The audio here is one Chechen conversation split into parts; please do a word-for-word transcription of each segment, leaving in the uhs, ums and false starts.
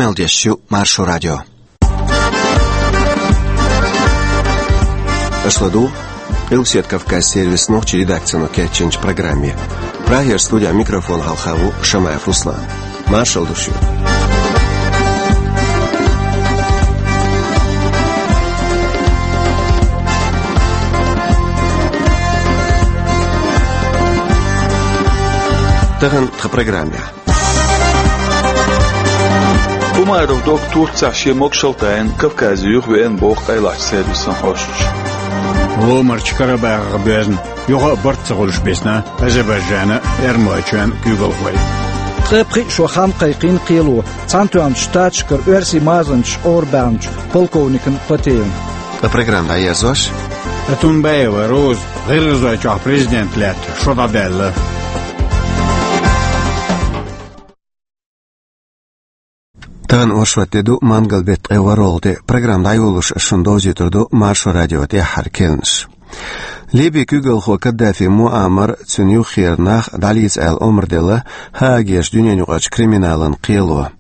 Ӏалдеш ю Маршо радио. Аша ладугӀу Къилбаседа Кавказ сервисан нохчийн редакцино кечйинчу программе. Прагера студехь микрофон хьалха ву Шамаев Руслан. Маршалла ду шуьга. Тахана тхан программехь. Умаров Докка Турцехь шен могушалла тайна Кавказе юхавеана боху къайлахчу сервисан хьоьстуш. Ломарчу Карабахах боьзна, юха а барт ца хуьлуш бисна Азербайджанан а, Эрмалойчоьнан а куьйгалхой. Ткъе пхиъ шо хам кхайкхийна кхело Цхьаьнатоьхначу Штаташкара оьрсийн мазанчаш орабаьхначу полковникна Патеевна. Ткъа программа дӀаерзош, Атунбаева Роза ГӀиргӀазойчохь президент лаьтта шо дӀадаьлла. Тахана оршот де ду, мангал беттан ткъе ворхӀалгӀа де. Программа дӀайолош ас шуна довзуьйтур ду Маршо радион тӀаьххьара керланаш. Ливин куьйгалхо Каддафи Муаммар а, цуьнан юххера нах а дӀалеца аьлла омра делла Гаагерчу дуьненаюкъарчу криминалан кхело.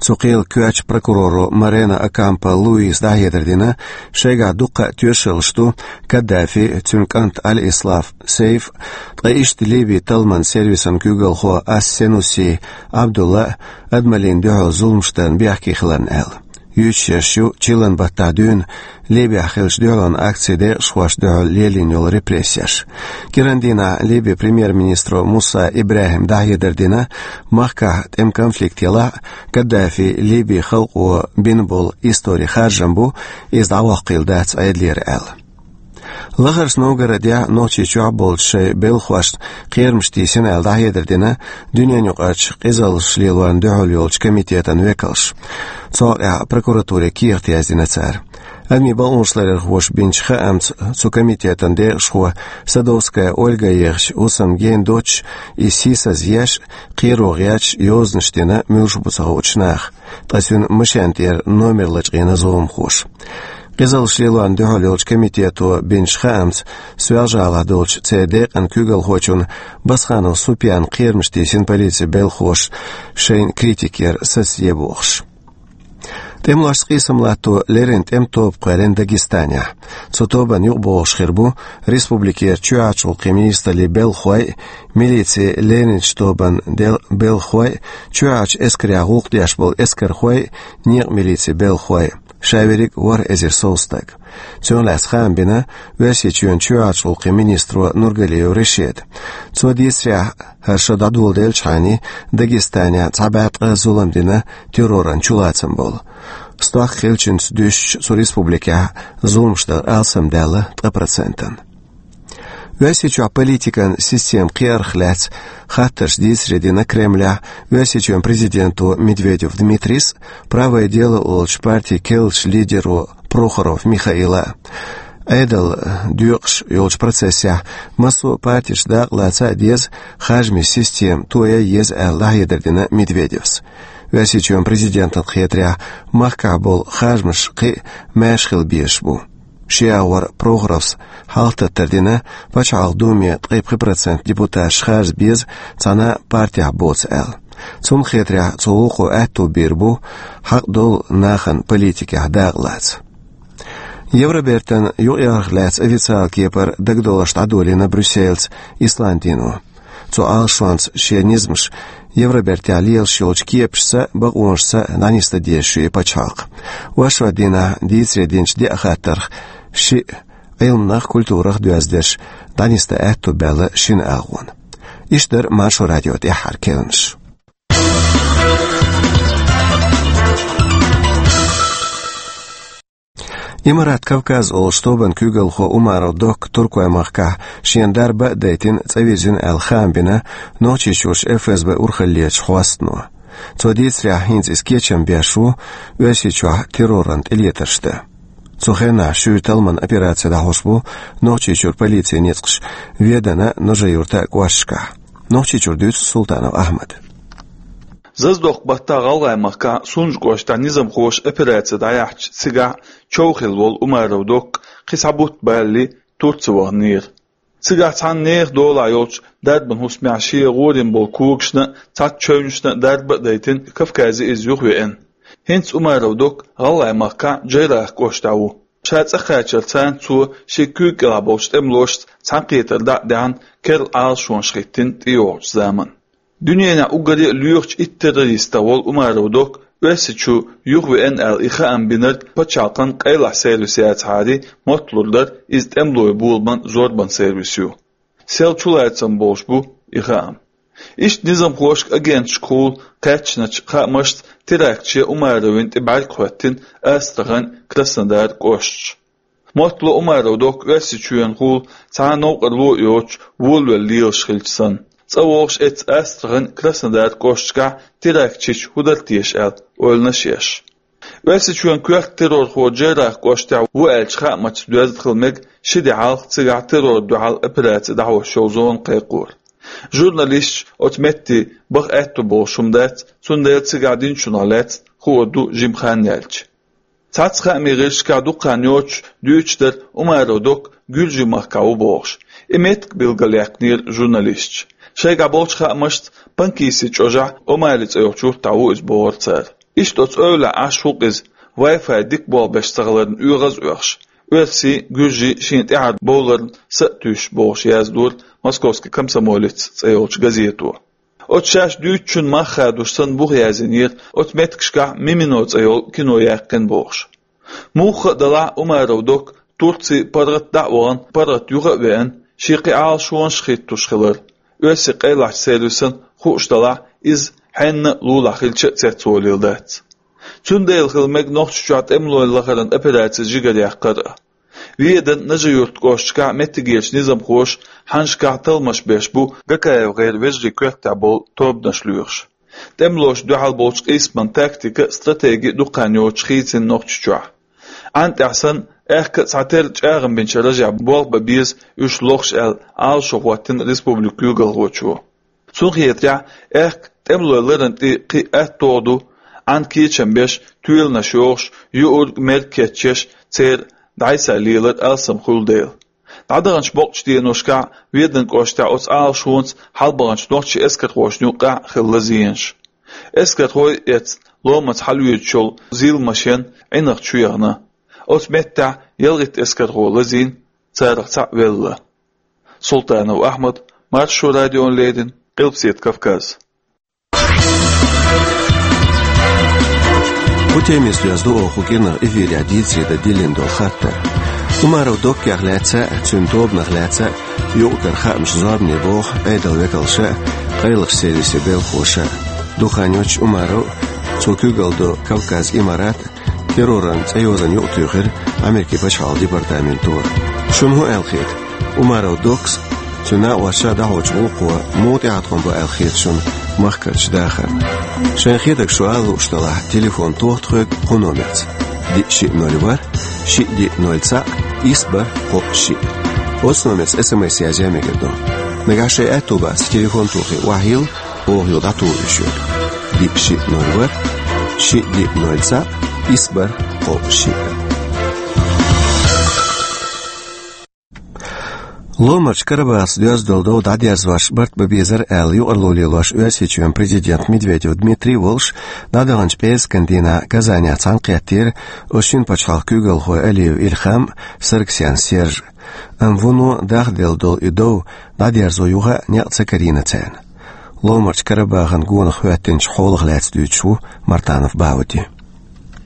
Цу кхелан коьртачу прокуроро Морено Окампо Луисо дӀахьедар дина, шайгахь дуккха а тоьшаллаш ду Каддафи а, цуьнан кӀант Аль-Ислам Сейф а, ткъа иштта Ливин талламан сервисан куьйгалхо Ас-Сенуси Ӏабдулла а адамаллина дуьхьал зуламаш дарна бехке хиларна аьлла. Юьйцуш ю чиллан баттахь дуьйна Ливехь хиллачу дуьхьалонан акцийн декъашхошна дуьхьал лелийна йолу репрессеш. КӀиран дийнахь Ливин премьер-министро Муса ИбрахӀима дӀахьедар дина, махкахь тӀеман конфликт елахь а, Каддафи Ливин халкъо бина болу историн харжам бу, иза дӀавоккхийла дац Ӏедалера аьлла. Лахарчу Новгородехь а, Нохчийчохь а болчу шайн белхахошна кхерамаш тийсина аьлла дӀахьедар дина дуьненаюкъарчу къизаллаш лелорна дуьхьал йолчу комитетан векалша. Цу хьокъехь прокуратуре кехат яздина цара. Адамийн бакъонаш ларъярхоша бинчу хаамца, цу комитетан декъашхо Садовская Ольга ехачу хӀусамна гена доцуш, иза сийсазъеш а, кхеро гӀерташ а йозанаш дина муьлш бу ца хуучу наха, ткъа цуьнан машен тӀера номер лачкъийна зуламхоша. Къизаллаш лелорна дуьхьал йолчу комитето бинчу хаамца, Соьлжа-ГӀалахь долчу церан декъан куьйгалхочунна Басханов Супьянна кхерамаш тийсина полицин белхахоша, шайна критика яр сацаде бохуш. ТӀемалошца къийсам латто леррина тӀеман тоба кхоьллина Дагестанехь. Цу тобанна юкъабогӀуш хир бу республикера чоьхьарчу гӀуллакхийн министраллин белхахой а, милицин лерринчу тобанан дел-, белхахой а, чоьхьарчу эскарехь гӀуллакх деш болу эскархой а, некъан милицин белхахой а. Ша верриг а ворхӀ эзар сов стаг. Цунах лаьцна хаам бина Оьрсийчоьнан чоьхьарчу гӀуллакхийн министро Нургалиев Рашида. Цо дийцарехь, хӀара шо дӀадоладелчхьана Дагестанехь цхьа бӀе ткъа зулам дина терроран чулацам болу. Стохка хиллачуьнца дуьстича, цу республикехь зуламаш дар алсамдаьлла ткъа процентана. Оьрсийчохь политикан системан кхиарх лаьцна хаттарш дийцаре дина Кремлехь Оьрсийчоьнан президенто Медведев Дмитрийс а, «Правое дело» олучу партин керлачу лидеро Прохоров Михаила а. Ӏедал доькъуш йолчу процессехь массо а партеша дакъа лаца а деза, харжамийн система тоя а еза аьлла дӀахьедар дина Медведевс. Оьрсийчоьнан президентана хетарехь, махкахь болу харжамаш кхин а маьрша хила безаш бу. Ши агӀор Прохоровс хьалхататтар дина, Пачхьалкхан Думе ткъе пхи процент депутаташ харжа беза цхьана а партехь боцу аьлла. Цунна хетарехь, цу гӀуллакхо аьтто бийр бу хьакъ долу нахана политикехь дакъа лаца. Евробертан юкъаярх лаьцна официалан кепара дагадовларш дӀадолийна Брюссельца Исландино. Цу Ӏалашонца шен низамаш Евробертехь лелаш йолчу кепашца а, бакъонашца а дӀанисдан дезаш ю и пачхьалкх. Оршот дийнахь дийцаре динчу деа хаттарх шиъ, Ӏилманах, культурах доьзна дерш, дӀанисдан аьтто баьлла шина агӀонна. Иштта дара Маршо радион тӀаьххьара керланаш. Имарат Кавказ олуш тобанан куьйгалхо Умаров Докка Туркойн махкахь шена дарба а дайтина, цӀа вирзина аьлла хаам бина Нохчийчуьрчу ФСБ урхаллерчу хьостано. Цо дийцарехь, хӀинца иза кечам беш ву Оьрсийчохь терроран тӀелетарш дан. Цу хенахь шуьйра талламан операци дӀахьош бу Нохчийчуьра полицин ницкъаш Веданан а, Нажи-Юьртан а кӀошташкахь. Нохчийчуьра дуьйцу Султанов Ахьмада. Зазадоккху баттахь ГӀалгӀайн махкахь Сунжа кӀоштахь низамхоша операци дӀаяьхьча, цигахь чов хилла волу Умаров Докка кхин цхьа бутт балале Турце ваханера. Цигахь цхьана нехан долахь йолчу дарбан хӀусамехь шен гӀорийна болу когашна а, цхьацца чевнашна а дарба а дайтина, Кавказе иза юхавеана. ХӀинца Умаров Док ГӀалгӀай махкахь Джейрах кӀоштахь ву. Ша цӀа кхачарца цо шен куьйга кӀелахь болчу тӀемалошца цхьаьнакхетар дӀа а даьхьна, керла Ӏалашонаш хӀиттина тӀейогӀучу заманна. Дуьненахь уггаре а лоьхучу итт террористах волу Умаров Док Оьрсийчу юхавеана аьлла и хаам бинарг пачхьалкхан къайлахь сервис яцахьара мотталур дара, иза тӀемалойн боламан зорбан сервис ю. Сел чулацам болуш бу и хаам. Иштта низамхошка, агенташкахула кхаьчначу хаамашца терактче Умаровна тӀе бӀаьрг хӀоьттина Астрахань, Краснодар кӀошташ. Моттало Умаров Док Оьрсийчоьнахула цхьа а новкъарло а йоцуш волавелла лелаш хилча санна. ЦӀа вогӀуш эццу Астрахань, Краснодар кӀошташкахь терактчийча хӀун дара теша аьлла ойланаш еш. Оьрсийчоьнан коьрта террорхо Джейрах кӀоштахь ву аьллачу хаамашца доьзна хила мега ши де хьалха цигахь террорна дуьхьал операци дӀахьош йолу зона кхайкхор. Журналисташ оцу метте баха аьтто болуш хӀума дац, цундела цигахь динчунах лаьцна хуур ду жима хан яьлча. Цхьацца хаамийн гӀирсашкахь дукха хан йоцуш дуьйцуш дара Умаров Док Гуьржийн махкахь ву бохуш. И меттиг билгалъяьккхинера журналисташа. Шайгахь болчу хаамашца Панкисси чӀожахь Омали цӀе йолчу юьртахь ву иза бохура цара. Иштта оцу эвлахь Ӏаш ву-кх иза, Wi-Fi дика болх беш ца хиларна оьгӀаз а оьхуш, оьрсийн, гуьржийн шена тӀаьхьара бовларна са а туьйсуш бохуш яздора Московский комсомолец цӀе йолчу газето. Оцу шаьш дуьйцучун мах хадош санна бух яздинера оцу меттигашкахь Мимино цӀе йолу кино яьккхина бохуш. Муха а делахь, Умаров Док Турци паргӀат дӀа а вахана, паргӀат юха а веана, шен кхин Ӏалашонаш хӀиттош хилар, оьрсийн къайлахчу сервисан хууш делахь, иза хьенна а лулахь хилча а цецволийла дац. Цундела хила мега Нохчийчохь тӀемалойн лахаран операци жигаръяккхар а. Веданан Нажи-Юрт кӀошташкахь меттигерчу низамхоша хьаннашкахь талламаш беш бу ГКФ-гӀеран вежарийн коьртехь болу тобанаш лоьхуш. ТӀемалошна дуьхьал болчу къийсаман тактика а, стратеги а дукха хан йоцуш хийцина Нохчийчохь. Ӏан тӀехь санна, аьхка а цхьатерра чӀагӀам бинчу ражехь болх бан беза уьш лохуш аьлла, Ӏалашо хӀоттийна республикан куьйгалхочо. Цунна хетарехь, аьхка тӀемалойн ларан тӀе кхин а аттагӀа ду, Ӏан кечам беш, тоьланаш йохуш, юург, мерг кечъеш, церан дӀасалелар алсам хуьлу дела. ДӀадаханчу бакъдолчу деношкахь Веданан кӀоштахь оцу Ӏалашонца хьалабаханчу нохчийн эскархошна юккъехь а хилла зенаш. Эскархой эцна ломаца хьалавоьдуш йолу зил машен Ӏинах чу яхана. Оцу меттехь ялхитта эскархо лазийна, царах цхьаъ велла. Султанов Ахьмад, Маршо радиона леррина, Къилбаседа Кавказ. Кху темица доьзна ду оха кху кӀирнах эфирехь дийцаре дан диллина долу хаттар. Умаров Доккех лаьцна а, цуьнан тобанах лаьцна а юкъара хаамаш зорбане боху Ӏедалан векалша а, къайлахчу сервисийн белхалоша а. Дукха хан йоццуш Умаров а, цо куьйгалла долу Кавказ Имарат а терроран цӀе йозанна юкъатуьйхира Америкин пачхьалкхан департаменто. Шуна хӀун аьлла хета? Умаров Докс а, цуьнан накъосташа а дӀахьочу гӀуллакхо муха тӀеӀаткъам бу аьлла хета шуна махкарчу дахарна? Шайна хетарг шу ала лууш делахь, телефон тоха тхоьга кху номерца: диъ шиъ ноль ворхӀ, шиъ диъ ноль цхьаъ, исс бархӀ кхоъ шиъ. Оцу номерца эс эм эс язъян мегар ду. Нагахь шайн аьтто бацахь, телефон тохий, охьайилла, оха юха дӀатухур ю шуьга. Диъ шиъ ноль ворхӀ, шиъ диъ ноль цхьаъ, исс бархӀ кхоъ шиъ. Ломарчу Карабахаца доьзна долу дов дӀадерзош барт бан безара аьлла, юкъарло лелош Оьрсийчоьнан президент Медведев Дмитрий а волуш, дӀадаханчу пӀераскан дийнахь Казанехь цхьаьнакхеттера оцу шина пачхьалкхан куьйгалхой Алиев Ильхам а, Саргсян Серж а. Амма вуно дахделла долу и дов дӀадерзо юха а некъ ца карийна царна. Ломарчу Карабахан гонах хӀоьттинчу хьолах лаьцна дуьйцуш ву Мартанов Бауди.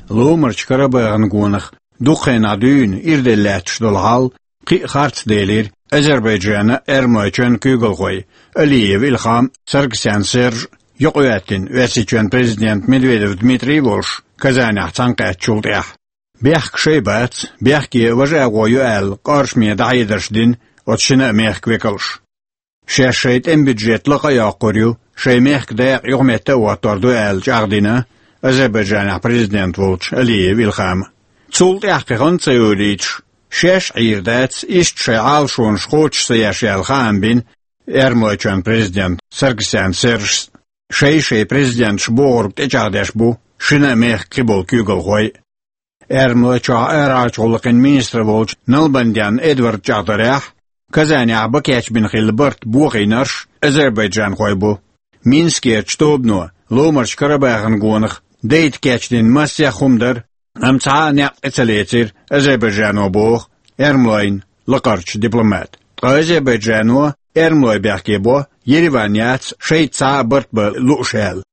Ломарчу Карабахан гонах дукха хенахь дуьйна ирделла лаьтташ долу хьал кхин а харц делира Азербайджанан а, Эрмалойчоьнан а куьйгалхойн, Алиев Ильхам а, Саргсян Серж а юкъахӀоьттина Оьрсийчоьнан президент Медведев Дмитрий а волуш, Казанехь цхьаьнакхаьчначул тӀаьхьа. Бехк шайн бац, бехке важа агӀо ю аьлла, къоршаме дӀахьедарш дина оцу шина а мехкан векалша. Шаьш шайн тӀеман бюджет лакха а йоккхур ю, шайн мехкан дакъа юхаметта а хӀоттор ду аьлла, чӀагӀдина Азербайджанехь президент волчу Алиев Ильхама. Цул тӀаьхьа кхин хан а ца йолуьйтуш, шаьш а Ӏийр дац, иштта шайн Ӏалашонаш кхочуш ца еш аьлла, хаам бина Эрмалойчоьнан президент Саргсян Сержас. Шай-шайн президенташ бохург тӀечӀагӀдеш бу шина а мехкан кхиболу куьйгалхой а. Эрмалойчохь арахьарчу гӀуллакхийн министр волчу Налбандян Эдварда чӀагӀдарехь, Казанехь бан кечбина хилла барт бохийнарш азербайджанхой бу. Минскерчу тобано Ломарчу Карабахан гонах Дайта кечдина массех хӀума дара, амма цхьа а некъ тӀе ца лецира Азербайджано, боху эрмалойн лакхарчу дипломата. Ткъа Азербайджано эрмалой бехке бо, Ереван яц шайца цхьа а барт бан лууш аьлла.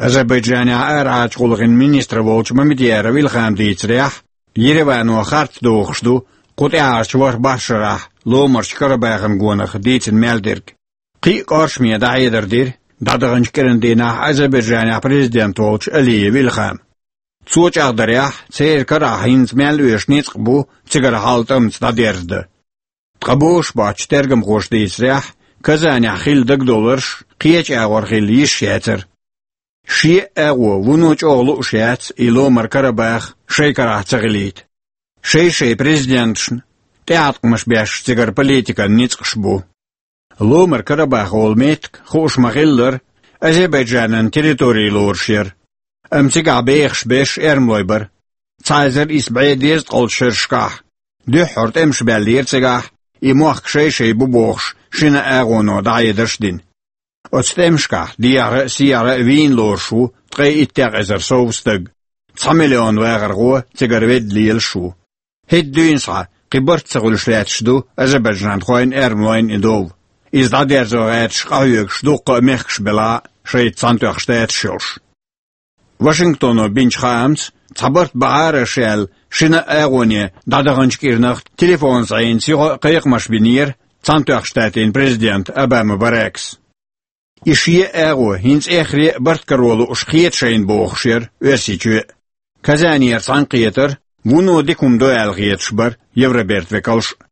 Азербайджанехь арахьарчу гӀуллакхийн министр волчу Мамедъяров Илхама дийцарехь, Еревано харц дохуш ду кху тӀаьхьарчу ворхӀ-бархӀ шарахь Ломарчу Карабахан гонах дийцина мел дерг. Кхин а кӀоршаме дӀахьедар дира дӀадаханчу кӀиран дийнахь Азербайджанехь президент волчу Алиев Илхама. Цо чӀагӀдарехь, церан карахь хӀинца мел оьшу ницкъ бу цигара хьал тӀамца дӀадерзадан. Ткъа бозуш боцчу тергамхоша дийцарехь, Казанехь хилла дагадовларш кхечу агӀор хилла йиш яцара. Шен а агӀо вуно чӀогӀа лууш яц и Ломар Карабах шайн карахь ца хилийта. Шай-шай президенташна тӀеӀаткъамаш беш цигара политикан ницкъаш бу. Ломар Карабах олу меттиг, хууш ма-хиллара, Азербайджанан территори лоруш яра. Амма цигахь бехаш берш эрмалой бара. Цхьа эзар исс бӀе дезткъалгӀачу шерашкахь дуьххьара тӀемаш баьллера цигахь, и мохк шай-шай бу бохуш шина агӀоно дӀахьедарш а дина. Оцу тӀемашкахь дехьара а, сехьара а вийна лоруш ву ткъе иттех эзар сов стаг. Цхьа миллион вахархо цигара ведда лелаш ву. ХӀетахь дуьйна схьа кхин барт ца хуьлуш лаьтташ ду азербайджанхойн, эрмалойн и дов. Иза дӀадерзо гӀерташ къахьоьгуш дуккха а мехкаш белахь а, шайца цхьаьнатоьхна штаташ йолуш. Вашингтоно бинчу хаамца, цхьа барт бахьара аша аьлла, шина а агӀоне дӀадаханчу кӀирнах телефонца Ӏийна юха а кхайкхамаш бинера Цхьаьнатоьхна Штатийн президента Обама Баракас. И шен а агӀо хӀинца эххар а барт каро лууш хета шайна бохуш яра Оьрсийчоь а. Казанера цхьаьнакхетар вуно дика хӀума ду аьлла хеташ бара Евробертан векалш а.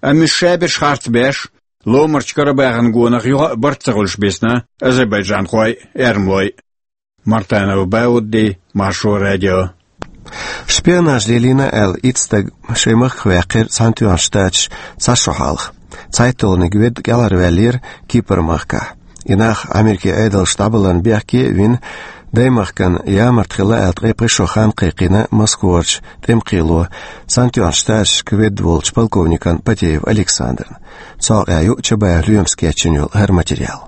Амма уьш шаберш харц беш, Ломарчу Карабахан гонах юха а барт ца хуьлуш бисна азербайджанхой а, эрмалой а. Мартанов Баудди, Маршо радио. Шпионаж лелийна аьлла, итт стаг шайн махках ваьккхира Цхьаьнатоьхна Штаташ цхьа шо хьалха. ЦхьайтталгӀаниг ведда кӀелхьарваьллера Кипр-махкахь. И нах Америкин Ӏедалша дӀабаларна бехке а вина, даймахкана ямарта хилла аьлла, ткъе пхи шо хан кхайкхийна Москварчу тӀеман кхело Цхьаьнатоьхна Штаташка ведда волчу полковникна Потеев Александрна. Цу хьокъехь ю Чабаев Лоьмас кечйина йолу хӀара материал.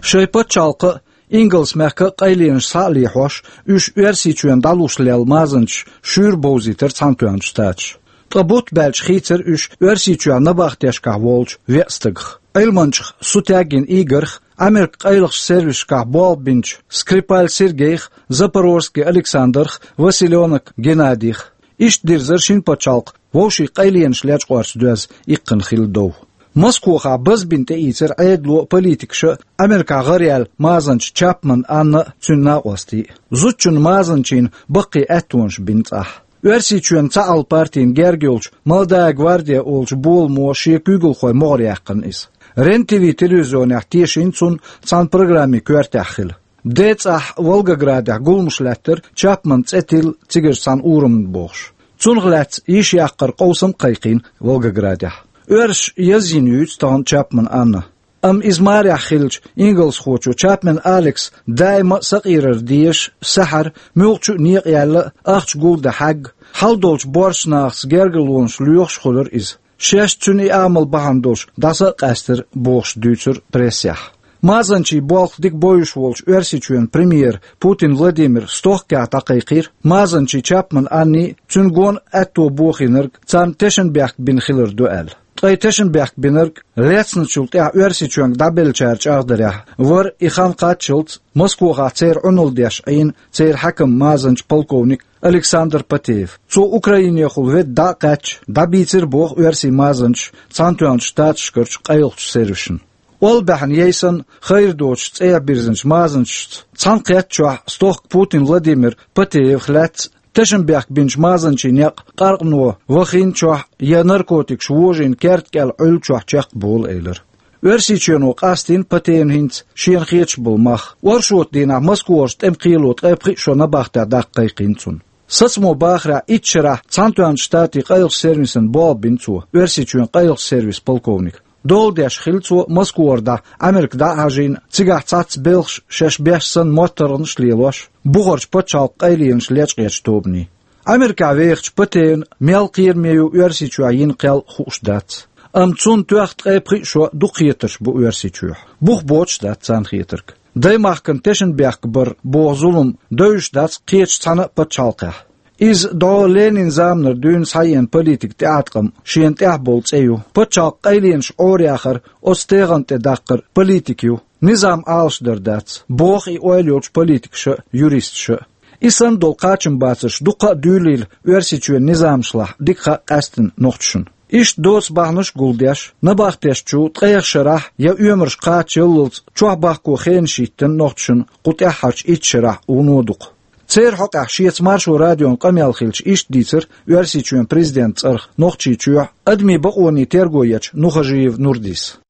Шайн пачхьалкхан а, Ингалс-мехкан а къайленаш схьа а лехьош, уьш Оьрсийчоьнна дӀалуш лелла мазанчаш шуьйра бовзийтира Цхьаьнатоьхна Штаташ. Ткъа бутт баьлча хийцира уьш Оьрсийчохь набахтешкахь волчу веа стагах. Ӏилманчех Сутягин Игорьх, Америкин къайлахчу сервисашкахь болх бинчу Скрипаль Сергейх, Запорожский Александрх, Василёнок Геннадийх. Иштта дирзира шина пачхьалкхан вовшийн къайленаш лечкъорца доьзна иккхина хилла дов. Москвахь базбина тӀеийцира Ӏедало а, политикаша а Америкахь гӀараяьлла мазанча Чапман Анна а, цуьнан накъостий а. Зудчунна мазанчийн баккхий аьттонаш бина цӀахь. Оьрсийчоьнан цхьаалла партина герга йолчу «Молодая гвардия» олучу боламо шен куьйгалхойн могӀаре яьккхина иза. Рен-ТВ телевизионехь тешийна цунна цхьана программин коьртехь хила. Ден цӀахь Волгоградехь гуламаш лаьттара Чапманан цӀе тилла цигара цхьана урамна бохуш. Цунах лаьцна йиш яккхаран къовсам а кхайкхийна Волгоградехь. Оьрсаша язйина юьйцу тахана Чапман Анна. Амма иза марехь хиллачу ингалсхочо Чапман Алекса даима а сакъерар дезаш, сахьара, муьлххачу а некъа яьлла а, ахча гулдан хьаьгга, хьал долчу боьрша нахаца гергарлонаш лоьхуш а хуьлура иза. Шаьш цуьнан и амал бахьана долуш дӀаса а къаьстира бохуш дуьйцура прессехь. Мазанчийн болх дика бойуш волчу Оьрсийчоьнан премьера Путин Владимира стохкехь дӀакхайкхийра мазанчийн Чапман Аннин а, цуьнан гонна аьтто бохийнарг царна тешнабехк бина хилар ду аьлла. Ткъа и тешнабехк бинарг лецначул тӀаьхьа Оьрсийчоьнга дӀабеллачара чӀагӀдарехь вара, и хан кхаччалц Москвахь церан Ӏуналла деш Ӏийна церан хьаькам, мазанча полковник Александр Потеев. Цо Украинехула ведда дӀа а кхаьчча, дӀабийцира боху оьрсийн мазанчаш Цхьаьнатоьхначу Штаташкарчу къайлахчу сервисашна. Олла баьхьна яй санна, хайр доцуш цӀехьа бирзинчу мазанчашца цхьаьнакхетта чохь стохка Путин Владимира Потеевх лаьцна тешнабехк бинчу мазанчийн некъ къаркъано вахийначохь я наркотикаш вожийна керта кӀел Ӏуьллучохь чекхболу элира. Оьрсийчоьно къастийна Потеевна хӀинца шена хеташ болу мах. Оршотан дийнахь Москварчу тӀеман кхело ткъе пхи а шо набахтехь даккха кхайкхийна цунна. Сацамо бахарехь, итт шарахь Цхьаьнатоьхначу Штатийн къайлахчу сервисана болх бина цо, Оьрсийчоьнан къайлахчу сервисан полковник. Дола деш хилла цо Москвара дӀа Америка дӀа а хьажийна, цигахь цхьацца белхаш шаьш беш санна моттаргӀанаш а лелош, бухарчу пачхьалкхан къайленаш лечкъечу тобанийн. Америкехь вехачу Потеевна мел кхераме ю Оьрсийчохь йина кхел хууш дац. Амма цунна тоьхна ткъе пхи а шо дукха хетарш бу Оьрсийчохь. Бух боцуш а дац царна хетарг. Даймахкан тешнабехк бар боху зулам девзаш дац кхечу цхьана а пачхьалкхехь. Иза дӀо Ленинан заманара дуьйна схьаеана политикан тӀеӀаткъам, шена тӀехь болу цӀе ю. Пачхьалкхан къайленаш Ӏораяхар, оцу тегӀан тӀе даккхар политика ю. Низам Ӏалашдар дац, боху и ойла йолчу политикаша а, юристаша а. И санна долу кхачамбацарш дуккха а дуьйлийла Оьрсийчоьнан низамашлахь дика хаьа къаьсттина нохчашна. Иштта доцу бахьанаш а гулдеш, набахтешна чу ткъех шарахь я оьмарш кхачаяллалц чохь бахко хенаш йиттина нохчашна кху тӀаьххьарчу итт шарахь вуно дукха. Церан хьокъехь шеца Маршо радион къамел хилча иштта дийцира Оьрсийчоьнан президентан цӀарах Нохчийчохь адамийн бакъонийн терго ечу Нухажиев Нурдис.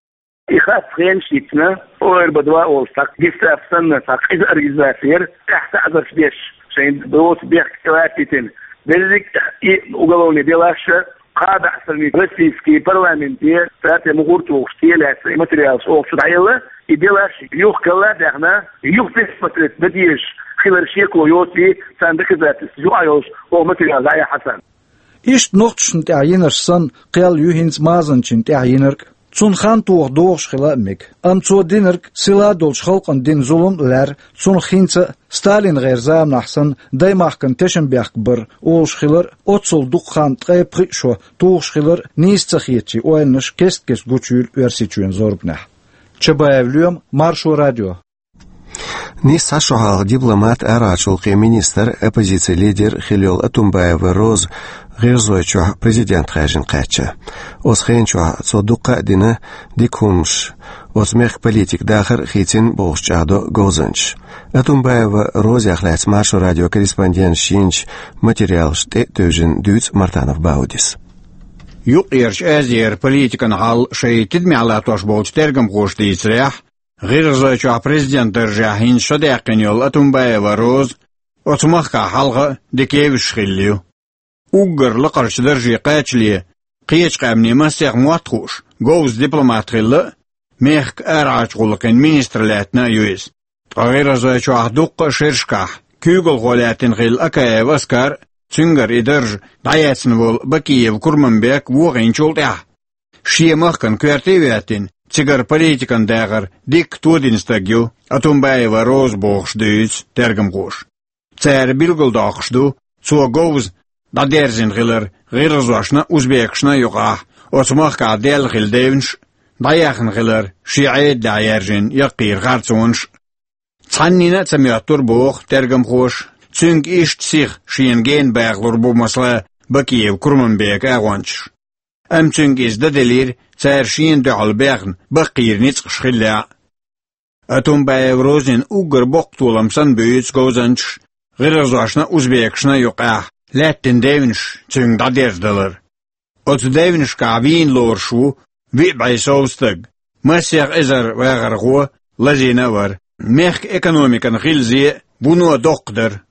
И хатта хенаш йиттина, ОРБ два олуш цхьа гестапо санна цхьа къиза организаци яра, тӀехь таӀзарш деш, шайн доцу бехк тӀелатийтина. Дерриг а и уголовный делаш а кхаа бӀе сарний российский парламенте цара тӀе мухӀар тухуш, тӀелаьцна и материалаш оха чу дӀаелла, и делаш юхкалла а даьхна, юха пересмотреть дан дезаш хилар шеко йоций, царна доказательстваш юкъахь йолуш оха материал дӀаяьхьна царна. Иштта нохчашна тӀехь йинарш санна, кхел ю хӀинца Мазанчин тӀехь йинарг а. Цунна хан тоха догӀуш хила а мега. Амма цо динарг сила долчу халкъана дина зулам а лаьрра, цунах хӀинца а Сталин гӀеран заманахь санна даймахкан тешнабехк бар олуш хилар а, оццул дукха хан, ткъе пхиъ шо тухуш хилар а нийса ца хетачийн ойланаш кест-кеста гучуйийла Оьрсийчоьнан зорбанехь. Чабаев Лоьма, Маршо радио. Нийсса цхьа шо хьалха дипломат, арахьарчу гӀуллакхийн министр, оппозицин лидер хилла йолу Отунбаева Роза ГӀиргӀазойчохь президент хаьржина кхаьчна. Оцу хенан чохь цо дуккха а дина дика хӀуманаш, оцу мехкан политикан дахар а хийцина бохуш чӀагӀдо говзанчаша. Отунбаева Розех лаьцна Маршо радион корреспонденташа йинчу материалашна тӀе а тевжина дуьйцу Мартанов Баудис. Юккъерчу Азера политикан хьал шайн тидамехь латтош болчу тергамхоша дийцарехь, ГӀиргӀазойчохь президентан даржехь хӀинца шо даьккхина йолу Отунбаева Роза оцу махкахь хьалха а дика евзаш хилла ю. Уггар лакхарчу дарже кхачале кхечу къаьмнийн масех мотт хууш, говза дипломат хилла а, мехкан арахьарчу гӀуллакхийн министр лаьттина а ю иза. Ткъа ГӀиргӀазойчохь дуккха а шерашкахь куьйгалхо лаьттина хилла Акаев Аскар а, цуьнгара и дарж дӀаэцна волу Бакиев Курманбек а вохийначул тӀаьхьа, шен махкана коьрте а хӀоьттина, цигара политикан дахар дикка тодина стаг ю Отунбаева Роза бохуш дуьйцу тергамхоша. Цара билгалдоккхуш ду, цо говза дӀадерзина хилар гӀиргӀазошна а, узбекашна а юкъахь, оцу махкахь даьлла хилла девнаш а, дӀаяьхна хилар шен Ӏедалехь яьржина яккхийра харцонаш а. Цхьаннина а ца моьттура, боху тергамхоша, цуьнга иштта сиха шена гена бахалур бу, масала, Бакиев Курманбекан агӀончаш. Амма цуьнга иза дан делира, цара шена дуьхьал бехна баккхийра ницкъаш хиллехь а. Отунбаева Розина уггар боккха толам санна буьйцу говзанчаша гӀиргӀазошна а, узбекашна а юкъахь лаьттина девнаш цуьнга дӀадерзадалар. Оцу девнашкахь вийна лоруш ву виъ бӀе сов стаг, масех эзар вахархо лазийна а вара. Мехкан экономикана хилла зе а вуно доккха дара.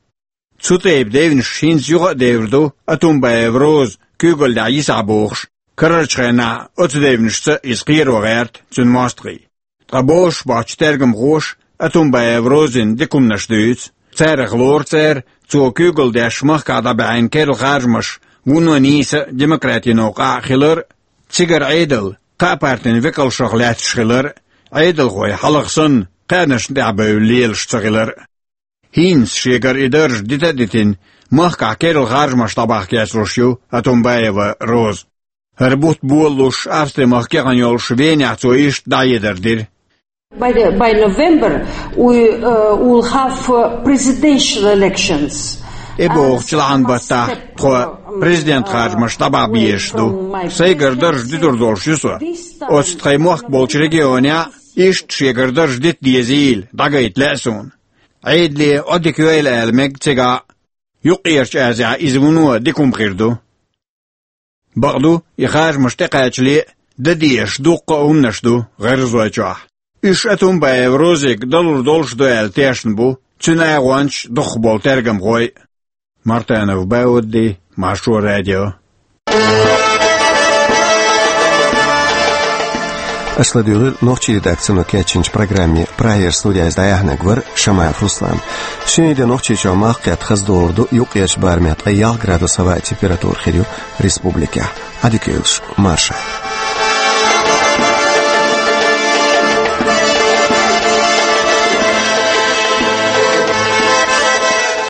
Цу тайпа девнаш хӀинца юха а девр ду, Отунбаева Роза куьйгаллехь йисахь бохуш, карарчу хенахь оцу девнашца иза кхеро гӀерта цуьнан мостагӀий. Ткъа бозуш боцчу тергамхоша Отунбаева Розина дика хӀуманаш дуьйцу. Царах лору цара, цо куьйгалла деш махкахь дӀабаьхьна керла харжамаш вуно нийса а, демократин новкъахь а хилар а, цигара Ӏедал кхаа партин векалшах лаьтташ хилар а, Ӏедалхой хьалха санна кхаьнашна тӀехь бевлла лелаш ца хилар а. ХӀинца шегара и дарж дита а дитина, махкахь керла харжамаш дӀабахка кечлуш ю Отунбаева Роза. ХӀара бутт болалуш, Австри-махка яхана йолуш Венехь цо иштта дӀахьедар дира. By the, by November, we, uh, will have, uh, presidential elections. И бохучу лахьан баттахь тхо президент харжамаш дӀабахьа безаш ду. Сайгара дарж дитур долуш ю со. Оцу тхайн мохк болчу регионехь иштта шегара дарж дита дезийла дӀагайта лаьа суна. Ӏедале Ӏодика йойла ала мега цигахь а, Юккъерчу Азехь иза вуно дика хӀума хир ду. Бакъду, и харжамаш тӀекхачале а дан дезаш дуккха а хӀуманаш ду ГӀиргӀазойчохь. Уьш Отунбаева Розига далур долуш ду аьлла тешна бу цуьнан агӀончаш а, дукхахболу тергамхой а. Мартанов Баудди, Маршо радио. Аша ладуьйгӀира нохчийн редакцино кечйинчу программе. Прагера студехь иза дӀаяьхьнарг вара Шамаев Руслан. Шен де Нохчийчохь малх кхетта хаза догӀур ду, юккъерчу барамехь ткъе ялх градус хӀаваан температура хир ю республикехь. Ӏадика йойла шун, марша.